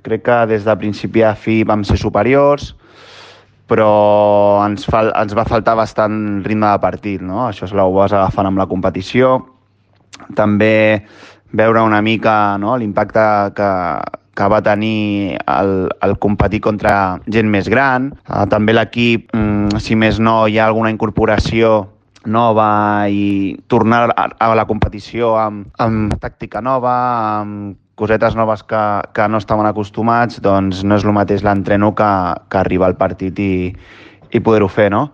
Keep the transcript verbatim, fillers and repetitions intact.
Crec que des de principi a fi vam ser superiors, però ens, fal ens va faltar bastant ritme de partit, no? Això se ho vas agafant amb la competició. També veure una mica, no, l'impacte que, que va tenir el, el competir contra gent més gran. Uh, també l'equip, mm, si més no, hi ha alguna incorporació nova i tornar a, a la competició amb, amb tàctica nova, amb cosetes noves que, que no estaven acostumats, doncs no és el mateix l'entreno que, que arribar al partit i, i poder-ho fer, no?